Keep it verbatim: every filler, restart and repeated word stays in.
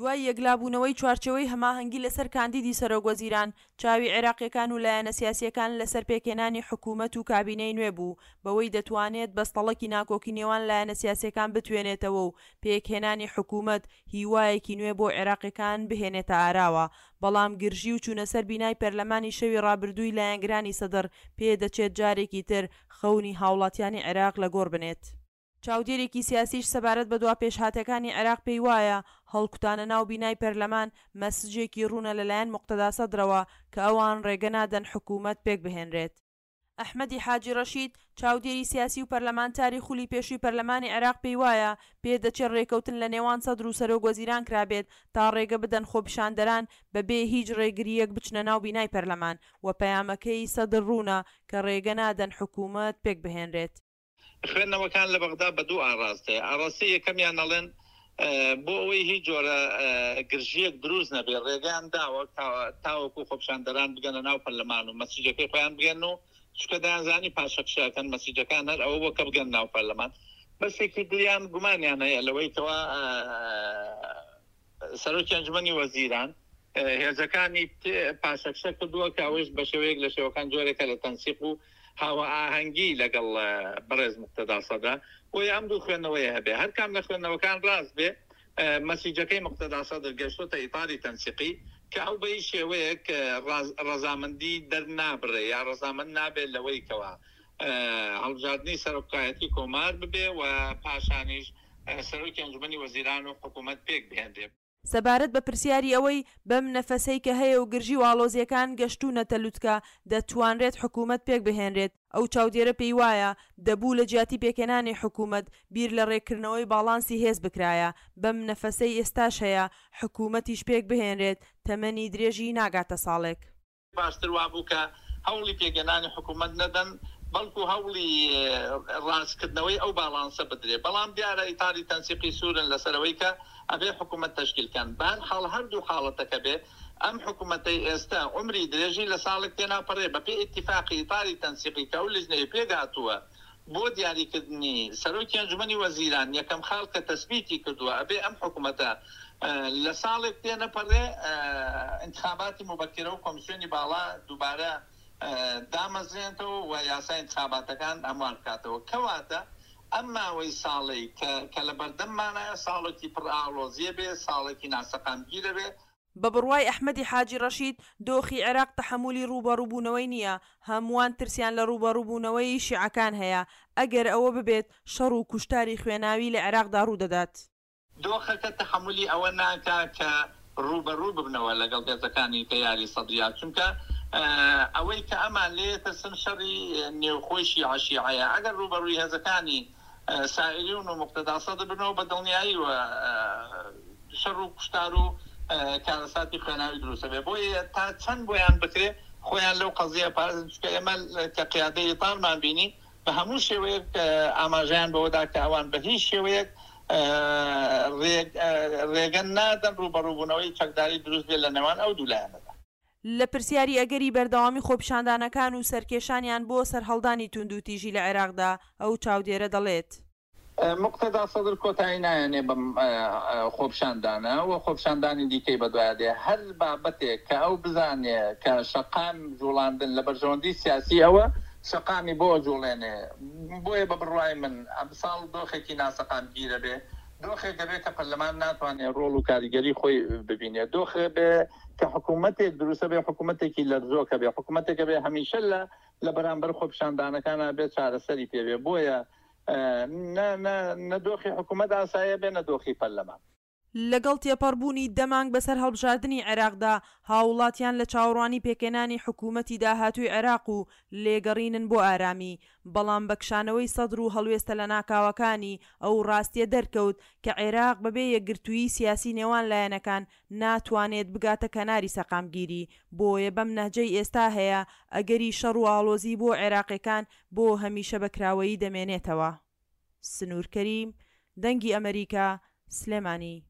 دوای یەکلابوونەوەی چوارچێوەی هەماهەنگی لەسەر کاندیدی سەرۆکوەزیران، چاوی عێراقییەکان و لایەنە سیاسییەکان لەسەر پێکهێنانی حکومەت و کابینەی نوێ بوو، بەوەی دەتوانێت بەستەڵەکی ناکۆکی نێوان لایەنە سیاسییەکان بتوێنێتەوە و پێکهێنانی حکومەت هیوایەکی نوێ بۆ عێراقییەکان بهێنێتە ئاراوە، بەڵام گرژی و چوونەسەر بینای پەرلەمانی شەوی رابردووی لایەنگرانی سەدڕ پێدەچێت جارێکی تر خەونی هاوڵاتیانی عێراق لەگۆڕ بنێت. چاودێرێکی سیاسیش سەبارەت بە دواپێشهاتەکانی عێراق پێیوایە، هەڵکوتانە ناو بینای پەرلەمان مەسجێکی روونە لەلایەن موقتەدا سەدرەوە کە ئەوان رێگە نادەن حکومەت پێکبهێنرێت. ئەحمەدی حاجی رەشید، چاودێری سیاسی و پەرلەمانتاری خولی پێشووی پەرلەمانی عێراق پێیوایە، پێدەچێت رێککەوتن لەنێوان سەدر و سەرۆک وەزیران کرابێت تا رێگە بدەن خۆپیشاندەران بەبێ هیچ رێگرییەک بچنە ناو بینای پەرلەمان و پەیامەکەی سەدر روونە کە رێگە نادەن حکومەت پێکبهێنرێت. خوێندنەوەکان لە بەغدا بە دوو ئاڕاستەیە، ئاڕاستەی یەکەمیان ئەڵێن بۆ ئەوەی هیچ جۆرە گرژییەک دروست نەبێ ڕێگەیان داوە تاوەکو خۆپیشاندەران بگەنە ناو پەرلەمان و مەسیجەکەی خۆیان بگەن و چونکە دەیانزانی پاشەکشە ئەکەن مەسیجەکان هەر ئەوە بووە کە بگەن ناو پەرلەمان. بەشێکی دریان گومانیان هەیە لەوەی کەوا سەرۆکی ئەنجومەنی وەزیران هێزەکانی پاشەکشە کردووە کە ئەوەیش بە شێوەیەک لە شێوەکان جۆرێکە لە تەنسیق و هاوئاهەنگی لەگەڵ بەڕێز موقتەدا سەدرا، بۆیە ئەم دوو خوێندنەوەیە هەبێ هەر کام لە خوێندنەوەکان ڕاست بێ مەسیجەکەی موقتەدا سەدر گەشتۆتە ئیتاری تەنسیقی کە ئەو بە هیچ شێوەیەک ڕەزامەندی دەرنابڕێ یا ڕەزامەند نابێت لەوەی کەوا هەڵبژاردنی سەرۆکایەتی کۆمار ببێ و پاشانیش سەرۆکی ئەنجومەنی وەزیران و حکوومەت پێک بهێنرێ. سەبارەت بە پرسیاری ئەوەی بەم نەفەسەی کە هەیە و گرژی و ئاڵۆزییەکان گەشتوونەتە لوتکە دەتوانرێت حکوومەت پێکبهێنرێت، ئەو چاودێرە پێیوایە، دەبوو لە جیاتی پێکهێنانی حکوومەت بیر لە رێککردنەوەی باڵانسی هێز بکرایە، بەم نەفەسەی ئێستاش هەیە حکوومەتیش پێکبهێنرێت تەمەنی درێژی ناگاتە ساڵێک. باشتر وابوو کە هەوڵی پێکهێنانی حکوومەت نەدەن، بەڵکو هەوڵی ڕاستکردنەوەی ئەو باڵانسە بدرێ، بەڵام دیارە ئیتاری تەنسیقی سوورن لەسەر ئەوەی کە ئەبێ حکوومەت تەشکیل کەن. بەهەرحاڵ هەردوو حاڵەتەکە بێ، ئەم حکوومەتەی ئێستە عومری درێژی لە ساڵێک تێناپەڕێ، بەپێی ئیتیفاقی ئیتاری تەنسیقی کە ئەو لیژنەیە پێکهاتووە بۆ دیاریکردنی سەرۆکی ئەنجومەنی وەزیران، یەکەم خاڵ کە تەسبیتی کردووە ئەبێ ئەم حکوومەتە لە ساڵێک تێنەپەڕێ ئینتخاباتی موبەکیرە و کۆمیسیۆنی باڵا دووبارە دامەزرێنێتەوە و یاسای ئینتخاباتەکان هەموار بکاتەوە. کەواتە ئەم ماوەی ساڵەی کە کە لە بەردەممانایە ساڵێکی پڕ ئاڵۆزییە بێ، ساڵێکی ناسەقامگیرە بێ. بە بڕوای ئەحمەدی حاجی ڕەشید، دۆخی عێراق تەحەمولی ڕووبەڕووبوونەوەی نییە، هەمووان ترسیان لە ڕووبەڕووبوونەوەی شیعەکان هەیە، ئەگەر ئەوە ببێت شەڕ و کوشتاری خوێناوی لە عێراقدا ڕوودەدات. دۆخەکە تەحەمولی ئەوە ناکا کە ڕووبەڕوو ببنەوە لەگەڵ هێزەکانی تەیاری سەدریا، چونکە ئەوەی کە ئەمان لێ ترسن شەڕی نێوخۆی شیعە شیعەیە، ئەگەر ڕووبەڕووی هێزەکانی سائیریون و موقتەدا سەدر ببنەوە بە دڵنیاییوە شەڕ و کوشتار و کارەساتی خوێناوی دروست ئەبێ، بۆیە تا چەند بۆیان بکرێ خۆیان لەو قەزیە پارێزن، چونکە ئێمە کە قیادەی ئیتارمان بینی بە هەموو شێوەیەک ئاماژەیان بەوەدا کە ئەوان بە هیچ شێوەیەک رێگە نادەن رووبەڕووبوونەوەی چەکداری دروست بێت لە نێوان ئەو دوو لایەنەدا. لە پرسیاری ئەگەری بەردەوامی خۆپیشاندانەکان و سەرکێشانیان بۆ سەرهەڵدانی توندوتیژی لە عێراقدا، ئەو چاودێرە دەڵێت. موقتەدا سەدر کۆتایی نایەنێ بەم خۆپیشاندانە و خۆپیشاندانی دیکەی بەدوایا دێ، هەر بابەتێک کە ئەو بزانێ کە شەقام جوڵاندن لە بەرژەوەندی سیاسی ئەوە، شەقامی بۆ ئەجوڵێنێ، بۆیە بە بڕوای من ئەمساڵ دۆخێکی ناسەقامگیرە بێ، دۆخێک ئەبێ کە پەرلەمان ناتوانێ ڕۆڵ و کاریگەری خۆی ببینێ، دۆخێ بێ کە حکوومەتێک دروست ئەبێ حکوومەتێکی لەرزۆک ئەبێ، حکوومەتێک ئەبێ هەمیشە لە لە بەرامبەر خۆپیشاندانەکانا بێ چارەسەری پێ بێ، بۆیە نە نە نە دۆخی حکوومەت ئاسایی ئەبێ نە دۆخی پەرلەمان. لەگەڵ تێپەڕبوونی دە مانگ بەسەر هەڵبژاردنی عێراقدا، هاووڵاتیان لە چاوەڕوانی پێکهێنانی حکوومەتی داهاتووی عێراق و لێگەڕینن بۆ ئارامی، بەڵام بە کشانەوەی سەدر و هەڵوێستە لەناکاوەکانی، ئەو ڕاستییە دەرکەوت کە عێراق بەبێ یەکگرتوویی سیاسی نێوان لایەنەکان ناتوانێت بگاتە کەناری سەقامگیری، بۆیە بەم نەهجەی ئێستا هەیە، ئەگەری شەڕ و ئاڵۆزی بۆ عێراقییەکان بۆ هەمیشە بە کراوەیی دەمێنێتەوە. سنوور کەریم، دەنگی ئەمەریکا، سلێمانی.